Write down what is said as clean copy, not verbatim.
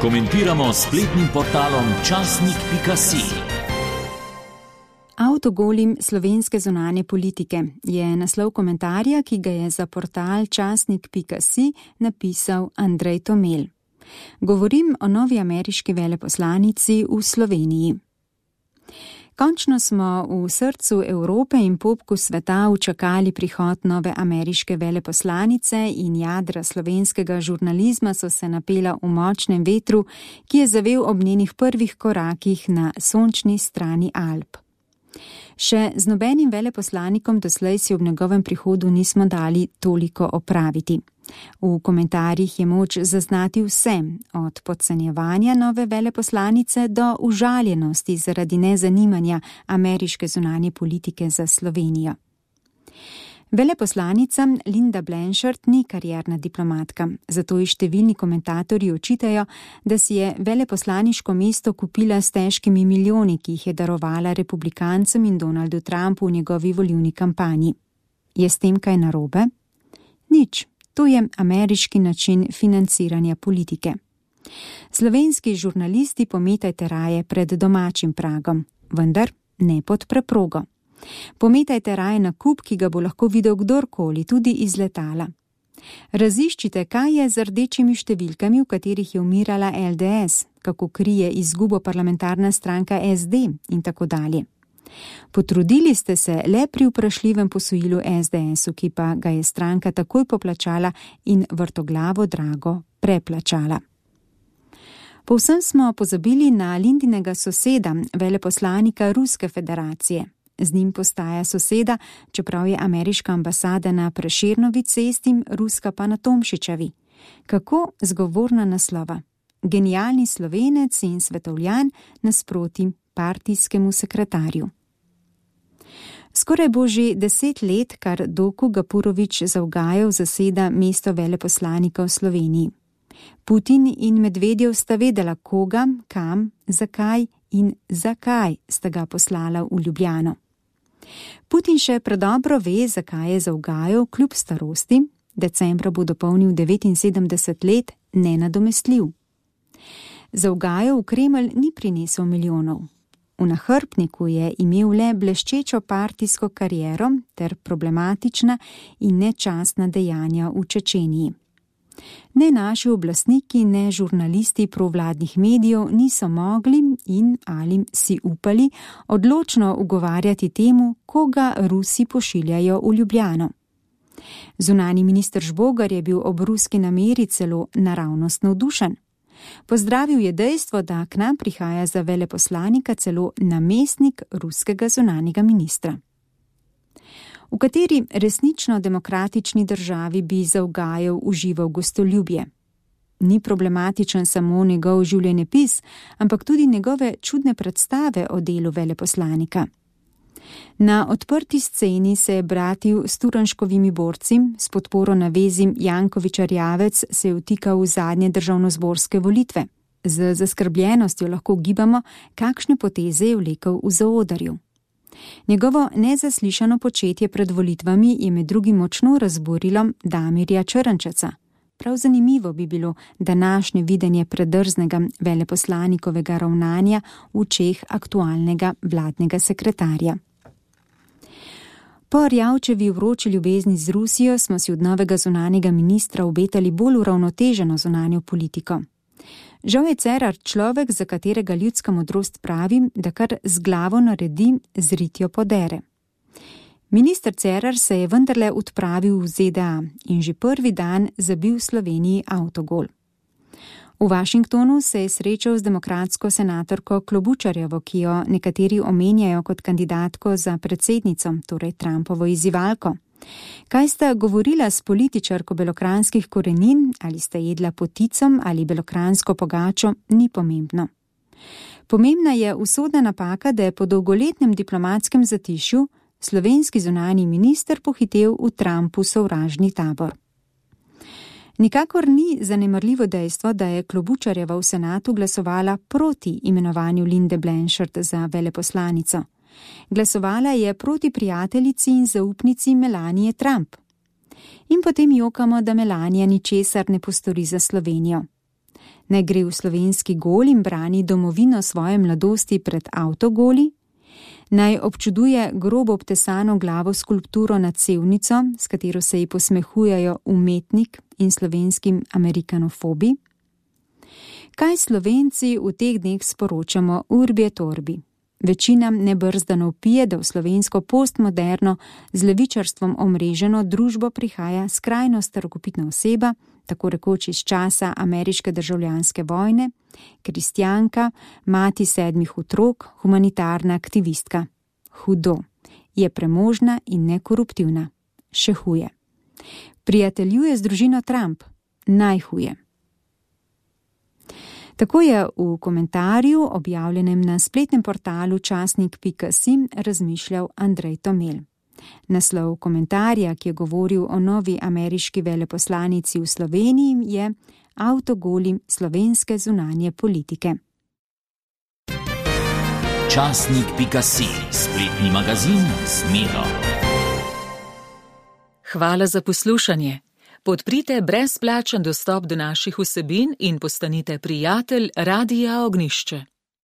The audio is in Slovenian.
Komentiramo s spletnim portalom časnik.si. Avtogolim slovenske zunanje politike je naslov komentarja, ki ga je za portal časnik.si napisal Andrej Tomel. Govorim o novi ameriški veleposlanici v Sloveniji. Končno smo v srcu Evrope in popku sveta učakali prihod nove ameriške veleposlanice in jadra slovenskega žurnalizma so se napela v močnem vetru, ki je zavel ob njenih prvih korakih na sončni strani Alp. Še z nobenim veleposlanikom doslej si ob njegovem prihodu nismo dali toliko opraviti. V komentarjih je moč zaznati vse, od podcenjevanja nove veleposlanice do užaljenosti zaradi nezanimanja ameriške zunanje politike za Slovenijo. Veleposlanica Linda Blanchard ni karierna diplomatka, zato ji številni komentatorji očitajo, da si je veleposlaniško mesto kupila s težkimi milijoni, ki jih je darovala republikancem in Donaldu Trumpu v njegovi volilni kampanji. Je s tem kaj narobe? Nič. To je ameriški način financiranja politike. Slovenski žurnalisti pometajte raje pred domačim pragom, vendar ne pod preprogo. Pometajte raje na kup, ki ga bo lahko videl kdorkoli, tudi iz letala. Raziščite, kaj je z rdečimi številkami, v katerih je umirala LDS, kako krije izgubo parlamentarna stranka SD in tako dalje. Potrudili ste se le pri vprašljivem posojilu SDS-u, ki pa ga je stranka takoj poplačala in vrtoglavo drago preplačala. Povsem smo pozabili na Lindinega soseda, veleposlanika Ruske federacije. Z njim postaja soseda, čeprav je ameriška ambasada na Prešernovi cesti, ruska pa na Tomšičevi. Kako zgovorna naslova. Genialni Slovenec in svetovljan nasproti partijskemu sekretarju. Skoraj bo že 10 let, kar Doku Gapurović Zavgajev zaseda mesto veleposlanika v Sloveniji. Putin in Medvedjev sta vedela, koga, kam, zakaj in zakaj sta ga poslala v Ljubljano. Putin še predobro ve, zakaj je Zavgajev kljub starosti, decembra bo dopolnil 79 let, nenadomestljiv. Zavgajev v Kremelj ni prinesel milijonov. V nahrbtniku je imel le bleščečo partijsko kariero ter problematična in nečastna dejanja v Čečeniji. Ne naši oblastniki, ne žurnalisti provladnih medijev niso mogli in ali si upali odločno ugovarjati temu, koga Rusi pošiljajo v Ljubljano. Zunanji minister Žbogar je bil ob ruski nameri celo naravnost navdušen. Pozdravil je dejstvo, da k nam prihaja za veleposlanika celo namestnik ruskega zunanjega ministra. V kateri resnično demokratični državi bi Zavgajev užival gostoljubje? Ni problematičen samo njegov življenjepis, ampak tudi njegove čudne predstave o delu veleposlanika. Na odprti sceni se je bratil s Turnškovimi borci, s podporo navezim Janković-Erjavec se je vtikal v zadnje državnozborske volitve. Z zaskrbljenostjo lahko ugibamo, kakšne poteze je vlekel v zaodrju. Njegovo nezaslišano početje pred volitvami je med drugim močno razburilo Damirja Črnčeca. Prav zanimivo bi bilo današnje videnje predrznega veleposlanikovega ravnanja v očeh aktualnega vladnega sekretarja. Po Erjavčevi vroči ljubezni z Rusijo smo si od novega zunanjega ministra obetali bolj uravnoteženo zunanjo politiko. Žal je Cerar človek, za katerega ljudska modrost pravi, da kar z glavo naredi, z ritjo podere. Minister Cerar se je vendarle odpravil v ZDA in že prvi dan zabil Sloveniji avtogol. V Washingtonu se je srečal z demokratsko senatorko Klobučarjevo, ki jo nekateri omenjajo kot kandidatko za predsednico, torej Trumpovo izzivalko. Kaj sta govorila s političarko belokranskih korenin, ali sta jedla poticom ali belokransko pogačo, ni pomembno. Pomembna je usodna napaka, da je po dolgoletnem diplomatskem zatišju slovenski zunanji minister pohitel v Trumpu sovražni tabor. Nikakor ni zanemarljivo dejstvo, da je Klobučarjeva v senatu glasovala proti imenovanju Linde Blanchard za veleposlanico. Glasovala je proti prijateljici in zaupnici Melanije Trump. In potem jokamo, da Melanija ničesar ne postori za Slovenijo. Naj gre v slovenski gol in brani domovino svoje mladosti pred avtogoli? Naj občuduje grobo obtesano glavo skulpturo nad Sevnico, s katero se ji posmehujejo umetnik in slovenskim amerikanofobi? Kaj Slovenci v teh dneh sporočamo urbi et orbi? Večina nebrzdano vpije, da v slovensko postmoderno z levičarstvom omreženo družbo prihaja skrajno starokopitna oseba, tako rekoč iz časa ameriške državljanske vojne, kristjanka, mati 7 otrok, humanitarna aktivistka. Hudo. Je premožna in nekoruptivna. Še huje. Prijateljuje z družino Trump. Najhuje. Tako je v komentarju, objavljenem na spletnem portalu časnik.si, razmišljal Andrej Tomel. Naslov komentarja, ki je govoril o novi ameriški veleposlanici v Sloveniji, je Avtogoli slovenske zunanje politike. Časnik.si, spletni magazin Zmedo. Hvala za poslušanje. Podprite brezplačen dostop do naših vsebin in postanite prijatelj Radia Ognjišče.